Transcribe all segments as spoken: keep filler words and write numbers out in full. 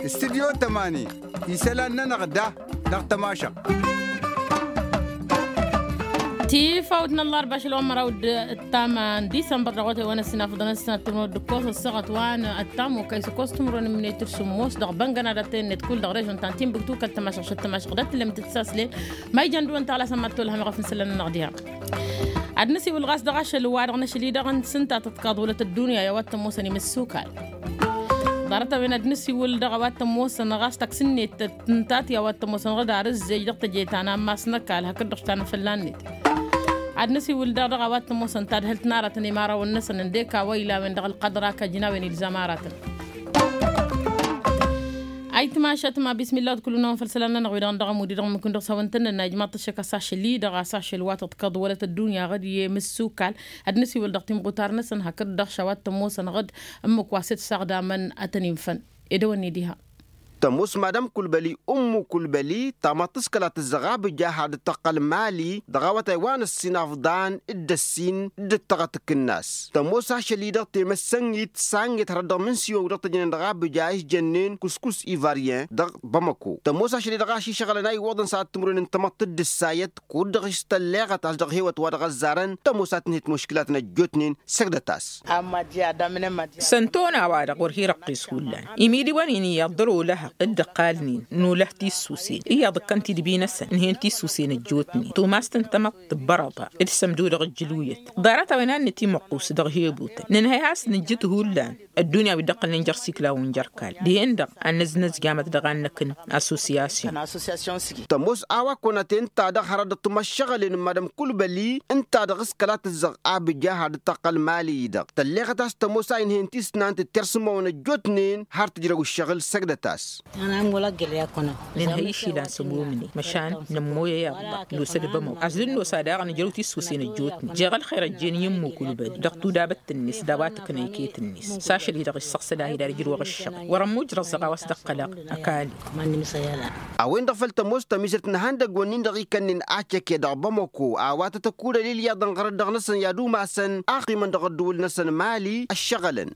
Studyo tămani isălan-nănăɣ da dăɣ-tămašăɣt. Tifawt n-ăllarba ašăl wa n-măraw d-ǝttam n-disămbăr dăɣ-otay wa n-ăssinafăḍăn ăssinat timrăw d-ǝkkos ăssaɣăt wa n-ǝttam okăy s-ǝkkos timrăw n-ǝmnet d-sǝmmos dăɣ-băngănadăt tennăt kull dăɣ-režon ta n-timbuktu kăl-tămašăɣ šăt tămašăɣ d-ătlămtăt s-aslen. Ma ijăn dăɣ-wăn taɣlas ămma t-tolhăm iɣăf n-isălan-nănăɣ diha. Ad-năsiwǝl ɣas dăɣ-ašăl wa-dăɣ n-ašăl-i-dăɣ n-sǝntatăt kaḍulăt ăddunya i-a-wa t-ămoosăn imǝssukal. Ḍarăt-a-wen ad-năsiwǝl dăɣ-a-wa t-ămoosăn ɣas taksǝnnet tǝntat i-a-wa t-ămoosăn ɣǝd ar ǝzzej dăɣ-teje ta n-ammas n-ăkall hakd-dăɣ s-tanăfălla-net. Ad-năsiwǝl daɣ dăɣ-a-wa t-ămoosăn tadhǝlt n-aratăn i-imărawăn-năsăn ǝndek a-wa ila a-wen dăɣ-ălqăḍra kăjnawen ilzam aratăn. Ayǝtmašat ma bismillah d-kull-năwăn făll-isălan-nănăɣ wi-dăɣ n-dăɣ-ămud-i-dăɣ ǝmmǝk-in dăɣ-s a-wa ǝntănnănna ijmaḍ-t ăššăk a-s ašăl-i-dăɣ a-s ašăl wa tăḍkăḍ wălăt ăddunya ɣǝd i-imǝssukal. Ad-năsiwǝl dăɣ-timɣutar-năsăn hakd-dăɣ š-a-wa t-ămoosăn ɣǝd ǝmmǝk wa s-dd-saɣdamăn ad-tăn-infăn. Edăwănni diha. Tămoos madam kulbăli ummu kulbăli tamăḍt s-kăla tǝzzăɣ abǝja har dd-tăqqăl mali dăɣ-awătay wa n-ăssinafḍan d-ăssin d-ǝttăɣăt ǝkǝnnas. Tămoos ašăl-i-dăɣ temăssăŋit s-anŋet hărăt dăɣ-imǝnsiwăn wi dăɣ-tăjnen dăɣ-abǝja a-s jănnen kuskus ivaryen dăɣ-bamako. Tămoos ašăl-i-dăɣ a-s išăɣlăn a iwwăḍăn s-ad-timǝrwen n-tamăḍt d-ǝssayăt kud-dăɣ s-tălleɣăt a-s dăɣ-hewăt wa dăɣ-ăzzarăn tămoos a tǝnhǝyăt muškǝlat n-ăjjootnen. Săgdăt-as. Săn tona-wa-dăɣ wăr hi-răqqes hullan imidiwăn-in iyyăḍ dăr-olăhăɣ d-ǝqqalnen n-olăh tissusen iyyăḍ ǝkkăn tidbi-năsăn ǝnhăyăn tissusen ăjjootnen tumast n-tamăḍt tǝbbărăḍa d-sămdo dăɣ-ǝjjǝlwǝyăt. Ḍarăt-a-wen ad-nǝtimăqqus dăɣ-hebutăn nǝnhăy a-s nǝjjǝt hullan ăddunya wi dd-ăqqălnen jer-siklaw n-jer-kall dihen-dăɣ ad-năznăzj gamăt dăɣ-annăk n-associasyon. Tămoos a-wa kăwăn-ăten ta dăɣ-hărăt dăɣ-timăššăɣǝlen n-madăm kulbăli ǝnta-dăɣ s-kăla tǝzzăɣ abǝja har dd-tăqqăl mali-i-dăɣ tălleɣăt a-s tămoos a inhăyăn tisnant d-tersǝmawăn ăjjootnen har tǝjrăw ǝššăɣǝl săgdăt-as. Nǝnhăy išilan s-ămomnen măšan nămmoyăy aḍḍa nosă d-bămăw a-s dd-nosa daɣ nǝjrăw tissusen ăjjootnen jeɣ ălxer ăjjeen i-ǝmmu kulbăli dăɣ-tudabăt-net d-a-wa tǝknăy iket-net s-ašăl-i-dăɣ issăɣsăd a hi-dd-ijrăwăɣ ǝššăɣǝl wăr-ămmuj răẓăɣ a-wa s-dd-ăqqălăɣ. Ăkall. A-wen-dăɣ făl tămoos tămizăt n-ihăndăgg-wǝnnin-dăɣ ikănnen acăke dăɣ-bamăko a-wa tăt-ăkudăl ilyaḍăn ɣărăt dăɣ-năsăn i-ad-umasăn a ăqqimăn dăɣ-ăddǝwǝl-năsăn mali ăššăɣălăn.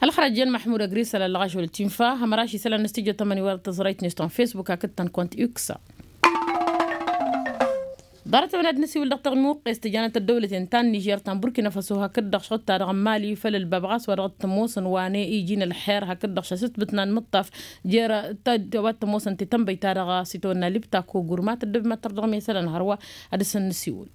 Ălxărăjjen măḥmud ăgrisăl ăllăɣaš wăla tinfa hămăraš isălan n-studyo tămăni wăr tăẓrăyt n-iston facebook hakd-tăn kont x. Ḍarăt-a-wen ad-năsiwǝl dăɣ-timuqqes tǝjanăt ăddăwlăten ta n-nižer ta n-burkina faso hakd-dăɣ šăɣ-ta-dăɣ n-mali făll-ălbab ɣas wa dăɣ-t-ămoosăn wa n-iji n-ălxer hakd-dăɣ šăsǝtbǝt n-anmǝṭṭaf jer-ta wa t-ămoosăn tetănbăy-ta-dăɣ s-itawănna libta kogurma tăddăb măttăr dăɣ-mesălăn hărwa. Ad-dăr-săn nǝsiwǝl.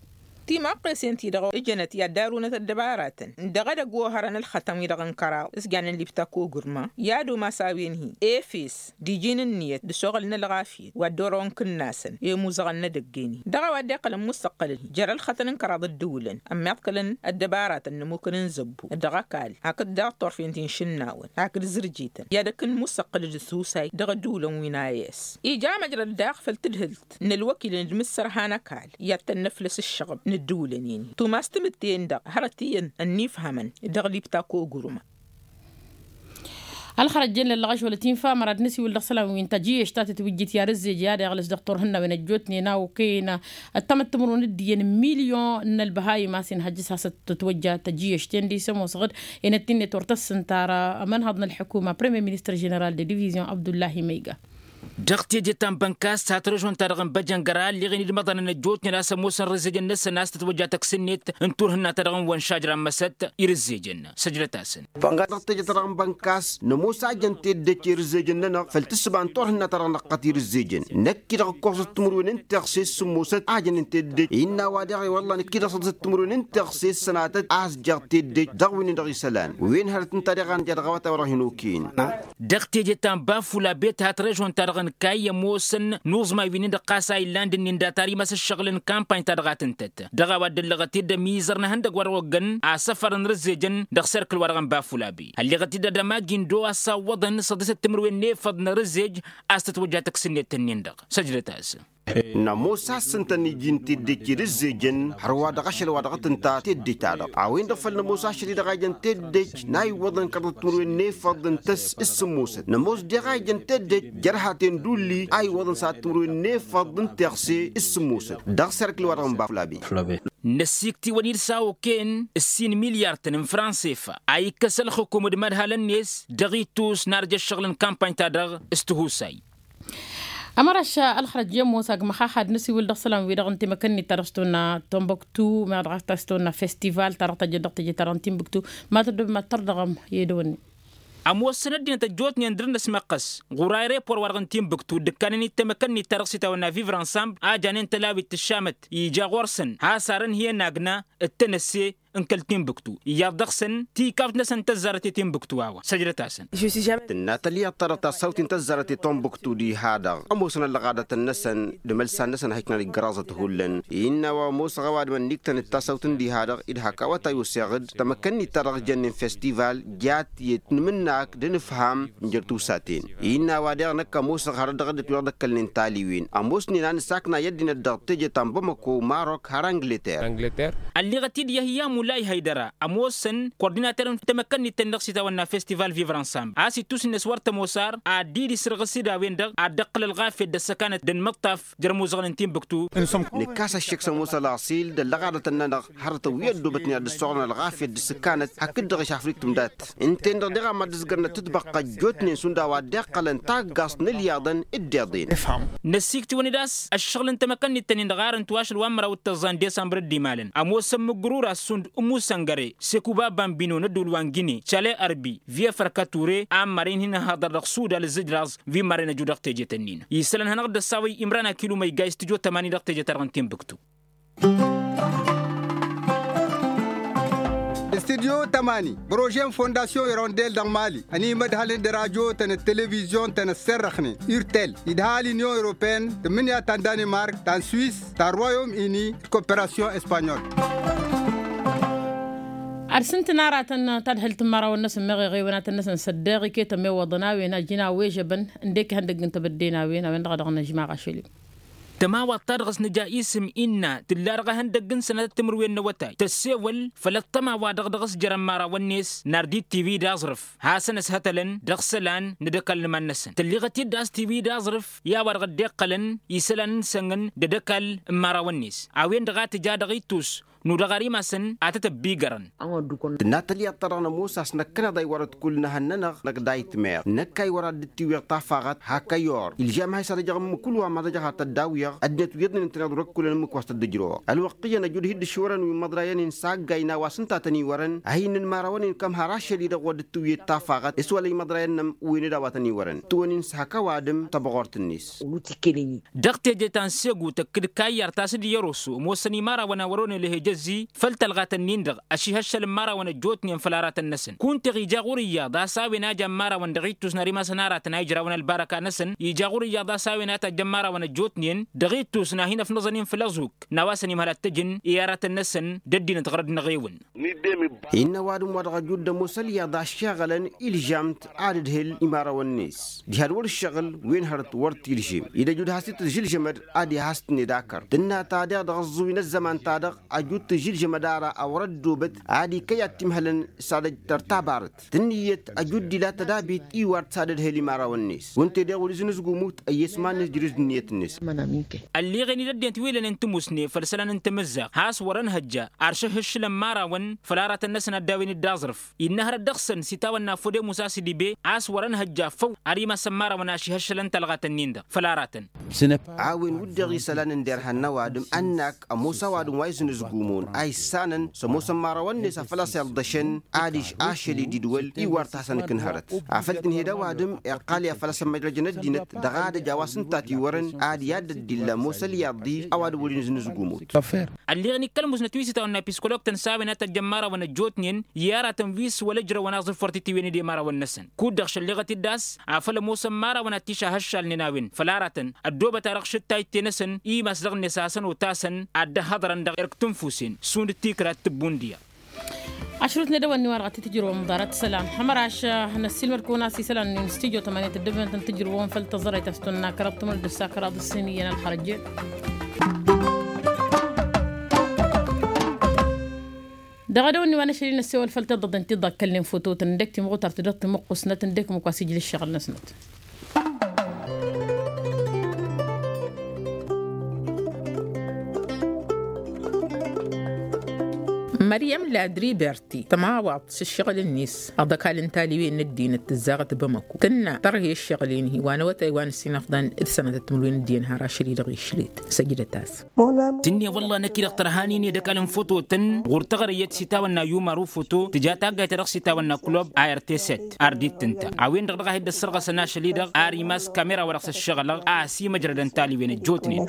Timăqqesen-ti-dăɣ ǝjănăt i-ad-darunăt ăddăbaratăn n-dăɣ-edăgg ohărăn ǝlxătăn-wi-dăɣ n-kăraḍ s-jannen libta kogurma i-ad-umas a-wen-hi efes d-iji n-ǝnniyăt d-asoɣăl n-ălɣafyăt wa dd-orăwăn kǝnnasăn i-imuzăɣăn n-edăgg-en-hi dăɣ-a-wa dd-iqqălăn musăqqălăn jer-ǝlxătăn n-kăraḍ ăddǝwǝlăn ămmiḍkălăn ăddăbaratăn n-ămmukăn n-zăbbu dăɣ-ăkall hakd daɣ turfen ti n-išǝnnawăn hakd zǝrjităn i-ad-ăkk n-musăqqǝlăd d-tusay dăɣ-ăddǝwǝlăn wi n-a s ija măjrăd daɣ făll-tǝdhǝlt n-ălwăkilăn d-imǝssărha n-ăkall i-ad-tănnăflăs ǝššăɣb n-ǝddǝwǝlăn-in-hi tumas timǝtte-en-dăɣ hărăt iyyăn ănnifhămăn dăɣ-libta kogurma. Ălxărăjjen lăllăɣăš wăla tinfa mărad năsiwǝl dăɣ-isălan wi n-tăjjǝyăš ta tǝtwǝjjǝt i-ad-ǝzzej i-ad-iɣlǝs dăɣ-turhǝnnawen ăjjootnen a okăyăn ăttămăt timǝrwen d-iyyăn n-milyon n-ălbăhayǝm a-s inhăjjăs hasăt-tǝtwăjja tăjjǝyăš-ten-di s-ămoos ɣǝd. Enăt-innet wăr tăssǝnta ara ămănhăḍ n-ălḥukuma premier ministăr ženeral de divizion abdullahi măyga. Dăɣ-teje ta n-bănkas hat-režon-ta-dăɣ n-băjăngăra ălleɣen-dd imăḍanăn ăjjootnen a-s ămoosăn irǝzzejăn-năsăn a-s tǝtwăjja tăksǝnnet n-turhǝnna-ta-dăɣ n-wănšaj rammăsăt irǝzzejăn. Săjdăt-asăn. Dăɣ-teje-ta-dăɣ n-bănkas nămoos a jăn teddej irǝzzejăn-nănăɣ făll-tǝssǝba n-turhǝnna-ta-dăɣ năqqăt irǝzzejăn năkk-i-dăɣ ǝkkoẓăt timǝrwen n-teɣse s-sǝmmosăt a jănnen teddej innă a-wa dăɣ-iwălla năkk-i-dăɣ s-ăḍǝsăt timǝrwen n-teɣse s-sănatăt a-s jer-teddej dăɣ-wen-dăɣ isălan wen hărăt ǝnta deɣ a nǝja dăɣ-awătay wa dăɣ-hin-okăyăn. Dăɣ-teje ta n-bafula bet hat režon-ta-dăɣ n-kayy ămoosăn n-uẓmay wi-nin-dăɣ ɣas a illan d-ǝnnin data ar imas ǝššăɣǝl n-kampany-ta-dăɣ a t-ǝntăt dăɣ-a-wa dd-ăllăɣăt-dd ămizăr n-ehăndăgg wa dăɣ-oggăn asăfăr n-irǝzzejăn dăɣ-serkǝl wa dăɣ-n bafula be ălleɣăt-dd ad-ămagi n-do a-s awwăḍăn s-ăḍisăt timǝrwen n-efăḍ n-irǝzzej a-s tătwăjja tăksa ǝnnet-ǝnnin-dăɣ. Săjdăt-asăn. Nămoos a-s ǝntăn iji n-teddej i-ad-ǝzzejăn hărwa dăɣ-ašăl wa dăɣ-tǝnta teddej-ta-dăɣ a-wen-dăɣ făl nămoos ašăl-i-dăɣ a ijăn teddej n-a iwwăḍăn kăraḍăt timǝrwen n-efăḍ ǝnta s-sǝmmosăt nămoos deɣ a ijăn teddej jer-haten d-ulli a iwwăḍăn s-ad-timǝrwen n-efăḍ n-teɣse s-sǝmmosăt dăɣ-serkǝl wa dăɣ-n baflabe. Năssiiktiwăn-dd s-a okăyăn ǝssin milyar-tăn n-fransefa a ikkăs ălxǝkum d-imădhalăn-net dăɣ-ittus n-arjă ǝššăɣǝl n-kampany-ta-dăɣ s-tihusay. Ămăraš ălxărăt jemmos agmăxaxad n-asiwǝl dăɣ-isălan-wi-dăɣ n-temăkănnit-ta-dăɣ s-tăwănna, tănbăktu meɣ dăɣ-a s-tăwănna festival ta dăɣ-tăjjăt dăɣ-teje-ta-dăɣ n-tinbǝktu. Ma tăddobem ad-tărdăɣăm i-dăwănne. Ămoosăn ăddinăt ăjjootnen dăr-năsmăqqăs ɣur-aerepor-wa-dăɣ n-tinbǝktu dd-ǝkkanen i-temăkănnit-ta-dăɣ s-itawănna viv-ransambl a janen tălawit tǝššamăt ija ɣur-săn has-arǝnhǝyăn agna d-tenăsse n-kăl-tinbǝktu iyyăḍ dăɣ-săn tikaft-năsăn tăzzarăt i-tinbǝktu a-wa săjdăt-asăn. Tǝnna tălyaḍt-ta-dăɣ tassawt-in tăzzarăt i-tinbǝktu diha-dăɣ ămoosăn ăllăɣadătăn-năsăn d-imălsan-năsăn a hiknăn iggăraẓăt hullan. Innă a-wa ămoosăɣ ăwadǝm ănniktăn d-tasawt n-diha-dăɣ d-hak a-wa ta i-osseɣ-dd tamăkkănnit-ta-dăɣ jănnen festival jat iyyăt n-imǝnnak d-inǝfham n-jer-tusaten. Innă a-wa daɣ năkk ămoosăɣ hărăt dăɣ-dd-ătwăɣ d-ăkkălnen taliwen ămoosnen a nǝsakna i-ăddinăt dăɣ-teje ta n-bamako marok har angleter. Ălleɣăt-dd yăhya mulay haydăra ămoosăn kordinater n-tamăkkănnit-tăn-dăɣ s-itawănna festival viv-ransambl a-s ittus-net wăr tămoos ar ad-dd-isǝrɣǝs d-a-wen-dăɣ ad-dd-ăqqǝl ălɣafyăt d-ăssăkanăt d-ănmǝṭṭaf jer-imuzăɣăn n-tinbǝktu. Nǝkkas ăššek s-ămoos ălaṣil d-ăllăɣadătăn-nănăɣ hărătăn wi ăddoobătnen ad-dd-ăssoɣrăn ălɣafyăt d-ǝssǝkkanăt hakd-dăɣ išafriktum dat ǝnta-en-dăɣ deɣ a mad-ǝzgărnăt tǝtbăqqa ăjjootnen šund a-wa dd-iqqălăn taggaẓt n-ǝlyaḍăn d-iḍen. Năssiiktǝwăn-dd a-s ăššăɣǝl n-tamăkănnit-tăn-in-dăɣ arăn tiwašăl wa n-măraw d-tăẓẓa n-desămbăr dd-imalăn ămoosăn mǝggǝrura šund ǝmmusăngăre sekuba bambino n-ădduul wa n-gine cale ărbi viyefăr kature a n-maren hin-ăhhăḍăr dăɣ-sudal ǝzzǝjraẓ wi n-maren ăju dăɣ-teje-tăn-in isălan hanăɣ-dd-ăssawăy imran akilu ma igga i-studyo tămani dăɣ-teje-ta-dăɣ n-tinbǝktu. Studyo tămani prože n-fondasyon irondel dăɣ-mali ănimădhălăn d-radyo-tăn d-televizyon-tăn ăssărrăxnen urtel idha l-inyon europeen tǝmmǝnǝya ta n-danimark ta n-swis ta n-royom ini d-koperasyon espanyol. Ad-sǝntǝn aratăn tadhǝlt n-imărawăn-năsăn meɣ iɣewenatăn-năsăn s-ăddeɣ iket ămewăḍăn a-wen a ǝjǝn a-wežăbăn ǝndek ihăndăgg n-tebădde n-a-wen a-wen-dăɣ a dăɣ-nǝžmaɣ ašăl-i. Tămawaḍt ta dăɣ-s nǝja isǝm innă tǝlla dăɣ-ehăndăgg n-sănatăt timǝrwen n-awătay tăssewăl făll-ăṭṭăma wa dăɣ-dăɣ-s jărăn imărawăn-net n-ar d-tiwi d-aẓrǝf hasăn-ăshătălăn dăɣ-isălan n-ad-ăkall n-iman-năsăn tălleɣăt-dd a-s tiwi d-aẓrǝf i-a-wa dăɣ-dd-iqqălăn isălan n-sănnăn d-ad-ăkall n-imărawăn-net a-wen-dăɣ a tǝja dăɣ-ittus n-udăɣ ar imasăn ad-tăt-ăbbigărăn. Tǝnna tălyaḍt-ta-dăɣ nămoos a-s năkkăneḍ a iwărăt kull n-ehăn-nănăɣ năkk dayǝtmeɣ năkk a iwărăt dd-tiwweɣ tafaɣăt hak ăyor ilžam a-s ad-ăjăɣ ǝmmǝk kull wa mad-ăjăɣ ad-tăt-dd-awǝyăɣ ăddinăt wi ǝḍnen ǝntăneḍ wăr-ǝkkulăn ǝmmǝk wa s-tăt-dd-ǝjrăwăɣ ălwăqq iyyăn ăjud hi-dd ǝššurăn wi n-imăḍrayăn-in s-aggay n-a-wa s-ǝnta a tăn-iwărăn a hin-inmărawăn-in kăm har ašăl-i-dăɣ wa dd-tǝwwǝyăt tafaɣăt s-wăla imăḍrayăn-năm ǝwwen-dd a-wa tăn-iwărăn tǝwăn-in s-hak ăwadǝm tăbɣort-net. Dăɣ-teje ta n-segu tăkk d-kayyar ta s-dd-iyyăr oso ămoosăn imărawăn a wăr-onăy lăhejăzzi făll-tălɣatăn-in-dăɣ ăšihăššăl n-imărawăn ăjjootnen făll-aratăn-năsăn kunteɣ ija ɣur-iyyăḍ a-s a-wen a jan imărawăn dăɣ-ittus n-ar imasăn aratăn a ijrawăn ălbarăka-năsăn ija ɣur-iyyăḍ a-s a-wen a tajjăn imărawăn ăjjootnen dăɣ-ittus n-ad-hin-ăfnăẓăn-in făll-ăẓuk n-a-wa săn imhăl ad-t-ăjǝn i-aratăn-năsăn d-ăddinăt ɣărăd n-eɣewǝn. Innă ăwadǝm wa dăɣ-ăjud d-ămoos ălyaḍ a ǝššeɣălăn ilžam-t ad-ǝdhǝl imărawăn-net diha d-wăr-ǝššăɣǝl wen hărăt wăr t-ilžem-i d-ăjud has-t-tǝžǝlžămăd ad-ihas-tǝnned akăr tǝnna ta daɣ dăɣ-ăẓẓuwi n-ăzzăman-ta-dăɣ ăjud tǝžǝlžămăd ara a wăr-ăddoobăt ad-ikăy ad-t-imhălăn s-ad-ăj tăr tabărăt tǝnniyăt ăjud d-ila tădabit iwar-t s-ad-ǝdhǝl imărawăn-net wănte daɣ wăr-izǝnǝzgumut ăyyes iman-net jrǝz d-ǝnniyăt-net. Ălleɣen-dd ăddinăt wi lănen tǝmusne făll-isălan n-tamǝzzaɣt has-wăr-ănhăjja ar šăhhǝššǝlăn imărawăn făll-aratăn-năsăn ad-dawin-dd aẓrǝf innă hărăt dăɣ-săn s-itawănna fode musa s-idibe a-s wăr-ănhăjja făw ar imasăn imărawăn ašihăššălăn talɣatăn-in-dăɣ făll-aratăn. A-wen wǝddeɣ isălan n-derhan n-ăwadǝm ănnak ămoos ăwadǝm wa izǝnǝzgumon a issanăn s-ămoosăn imărawăn-net afăl a-s iḍăšăn adiš ašăl-i d-idwăl iwar-t hasăn-ǝkǝn hărăt afăl tǝnhed ăwadǝm iqqal i-ad-făl a-s ămmăjrăjăn ăddinăt dăɣ-adăj a-wa s-ǝnta a tiwărăn ad-i-ad-dd-illa ămoos ălyaḍ-i ăwadǝm wăr-inǝznǝzgumut. Ălleɣ n-ikkăl musnăt wi s-itawănna piskoloktăn s-a-wen a tăjjăn imărawăn ăjjootnen i-aratăn wi s-wăla ǝjrăwăn aẓrǝf wăr t-itiwen d-imărawăn-năsăn kud-dăɣ šălleɣăt-dd a-s afăl ămoosăn imărawăn ad-t-išahăššalnen a-wen făll-aratăn ăddoobăt-a-dăɣ šǝttayt-te-năsăn i-imas dăɣ-net a hasăn-otasăn ad-dd-ăhhăḍărăn dăɣ-erk tǝnfusen šund tikra d-tǝbbundǝya. Ašrut n-edăwănni-wa-dăɣ ad-t-tǝjrǝwăm ḍarăt isălan hămăraš. Năssiilmăd-kăwăn a-s isălan n-studyo tămăniyăt dd-ǝbnătăn tǝjrǝwăm făll-tăẓẓărăyt a-s tăwănna kăraḍ timǝrǝd d-ǝssa kăraḍ ǝssin iyyăn ălxărăjje. Dăɣ-edăwănni wa n-ašăl-i n-ăssewăl făll-tiḍăḍen ti dd-ăkkălnen fototăn ǝndek timɣutar tǝdăɣ timǝqqusnăt ǝndek ǝmmǝk wa s-ijla ǝššăɣǝl-năsnăt. Măryăm ladriberti tămawaḍt s-ǝššăɣǝl-net ăḍăkal n-taliwen n-ăddinăt tǝzzaɣăt bamăku tǝnna tărhe ǝššăɣǝl-en-hi wa n-awătay wa n-ǝssin afḍăn d-sănătăt timǝrwen d-iyyăn har ašăl-i-dăɣ išlet. Săjdăt-as. Tǝnne wălla năkk-i-dăɣ tărhanin i-dăkal n-fototăn ɣur-taɣăre iyyăt s-itawănna yumar ufoto tǝja taggayt-ta-dăɣ s-itawănna kulob a r t set. Ar d-ittǝnta a-wen-dăɣ dăɣ-a hi-dd-ăssărɣăsăn ašăl-i-dăɣ ar imas kamera wa dăɣ-s ăššăɣǝlăɣ a ăsimăjrădăn taliwen ăjjootnen.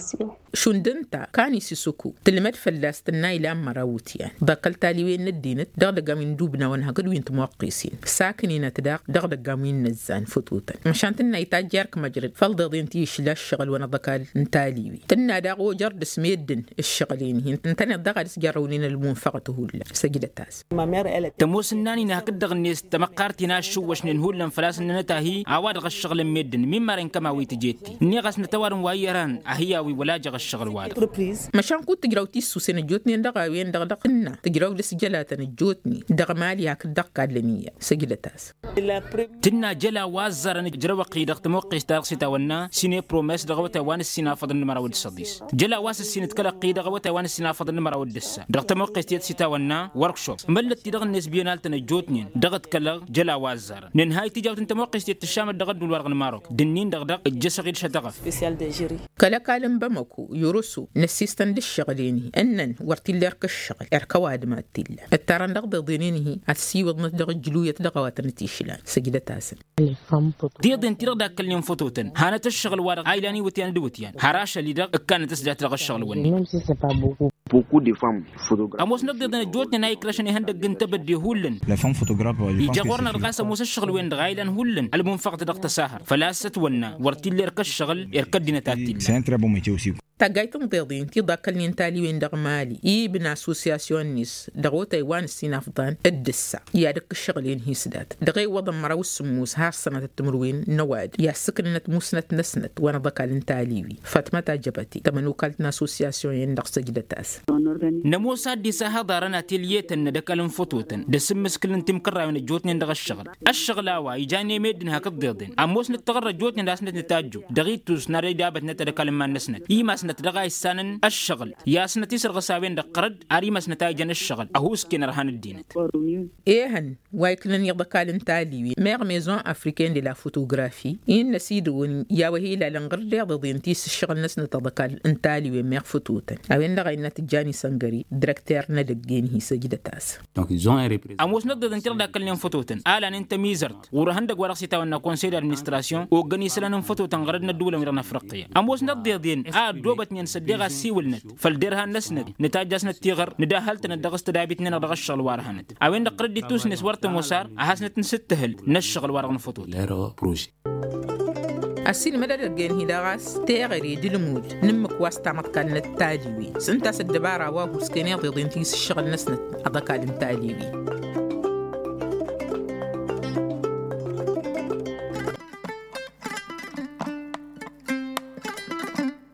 Šund ǝnta kan isǝsǝku tǝlmăd fălla-s tǝnna ilan măraw iwǝtyan ḍakkăl taliwen n-ăddinăt dăɣ-idăggan wi n-dubnawăn hakd wi n-timoqqesen sakǝn-inăt daɣ dăɣ-idăggan wi n-inăzzan fătotăn măšan tǝnna itajj erk măjrăd făll-deḍen ti išla ǝššăɣǝl wa n-aḍăkal n-taliwen tǝnna daɣ ojăr dăr-s meddǝn ǝššăɣǝl-en-hi ǝntăneḍ daɣ ad-ǝsjărrăwnen ălmunfăɣăt hullan. Săjdăt-as. Tămoos ǝnnan-in hakd-dăɣ-net tamăqqart-in a ǝššǝwwăšnen hullan făl-a-s ǝnnănăt a hi-a-wa-dăɣ ăššăɣǝlăn meddǝn min maren kăma wi tǝjet-i ǝnniɣ-as nătăwad n-wa iyyăr han a hi-awi wăla jăɣ ăššăɣǝl-wa-dăɣ. Măšan kud tǝjraw tissusen ăjjootnen dăɣ-a-wen-dăɣ dăɣ-tǝnna tǝjraw dăr-s jălatăn ăjjootnen dăɣ-mali hakd dăɣ-kallăn iyyăn. Săjdăt-as. Tǝnna jăla wa ăzzarăn ǝjrăwăɣ-i dăɣ-tămoqqest-ta-dăɣ s-itawănna sine promes dăɣ-awătay wa n-ǝssin afăḍăn n-măraw d-săḍis. Jăla wa s-ǝssin ǝdkălăɣ-i dăɣ-awătay wa n-ǝssin afăḍăn n-măraw d-ǝssa dăɣ-tămoqqest iyyăt s-itawănna workshop măllăt-ti-dăɣ-net biyăn altăn ăjjootnen dăɣ-ǝdkălăɣ jăla wa ăzzarăn nǝnhay tijawt n-tămoqqest iyyăt tǝššamăt dăɣ-ădduul-wa-dăɣ n-marok d-ǝnnin-dăɣ dăɣ-ǝjjăšăɣ-dd šătăɣăf. Kăl-ăkall n-bamăko yoroso năssistăn d-ǝššăɣǝl-en-hi ǝnnăn wăr t-illa erk ǝššăɣǝl erk ăwadǝm ad-t-illa ǝttarăn dăɣ-deḍen-en-hi ad-t-siwǝḍnăt dăɣ-ǝjlu iyyăt dăɣ-a-wa tăn-ătišlan. Săjdăt-asăn. Deḍen-ti-dăɣ dakkălnen fătotăn hanăt-ǝššăɣǝl-wa-dăɣ a ilan iwǝtyan d-iwǝtyan har ašăl-i-dăɣ ǝkkanăt s-dat dăɣ-ǝššăɣǝl-wǝnnin. Ămoosnăt deḍen ăjjootnen a ikrăšăn ihăndăgg n-tebădde hullan. Ija ɣur-năɣ dăɣ-a-s ămoos ǝššăɣǝl-wen-dăɣ a ilan hullan ălmunfăɣăt dăɣ-tăsahărt făl-a-s ătwănna wăr t-illa erk ǝššăɣǝl erk ăddinăt ad-t-illa. Taggayt n-tiḍeḍen ti ḍakkălnen taliwen dăɣ-mali ibn assosyasyon-net dăɣ-otay wa n-ǝssin afḍan d-ǝssa i-ad-ǝkk ǝššăɣǝl-en hi-s dat dăɣ-e iwwăḍăn măraw s-sǝmmos har sănătăt timǝrwen n-ăwadǝm i-ad-sǝknǝnăt musnăt-năsnăt wa n-aḍăkal n-taliwen. Fatmăt ajăbăte tămănokalt n-assosyasyon-en-dăɣ săjdăt-as. Nămoos ad-dd-isahăḍarăn atelye-tăn n-ad-ăkall n-fototăn d-asǝmmǝskǝl n-timkărrawen ăjjootnen dăɣ-ǝššăɣǝl. Ǝššăɣǝl a-wa ijan i-meddǝn hakd tiḍeḍen ămoosnăt taɣărra ăjjootnen a-s năt-nǝtajju dăɣ-ittus n-ad-idabătnăt ad-ăkall n-iman-năsnăt imasnăt dăɣ-a issanăn ǝššăɣǝl i-asnăt isărɣǝs a-wen-dăɣ ɣărăd ar imasnăt a ijăn ǝššăɣǝl ăhuusken ărhan ăddinăt. Ehăn wa iknăn i-aḍăkal n-taliwen meɣ maison africaine de la photographie innă s-idǝwǝn i-a-wa hi-ilalăn ɣǝr-deḍeḍen ti s-ǝššăɣǝl-năsnăt aḍăkal n-taliwen meɣ fătotăn a-wen-dăɣ a innă tǝjjan isăngări. Dirăkter n-edăgg-en hi-săjdăt-as. Ămoosnăt deḍen ti-dăɣ dakkălnen fătotăn a lanen tămizărt ɣur-ihăndăgg wa dăɣ-s itawănna konsey d-administrasyon oggăn isălan n-fătotăn ɣărăd n-ăddulăn wi-dăɣ n-afriqqiya. Ămoosnăt deḍen a ăddoobătnen s-ăddeɣ assiwǝlnăt făll-derhan-năsnăt nǝtajjasnăt tiɣăr nǝdahhăl-tănăt dăɣ-s tădabit-nănăɣ dăɣ-ǝššăɣǝl wa dăɣ-hanăt. A-wen-dăɣ tărăd d-ittusnet wăr tămoos ar ad-hasnăt n-sǝttǝhǝlt n-ǝššăɣǝl wa dăɣ-nǝfăḍot. Ăssiilmăd edăgg-en-hi dăɣ-a-s teɣăre d-ǝlmud n-ǝmmǝk wa s-tamăḍkalnăt taliwen s-ǝnta a-s ăddăbara wa husken iḍeḍen ti s-ǝššăɣǝl-năsnăt. Aḍăkal n-taliwen.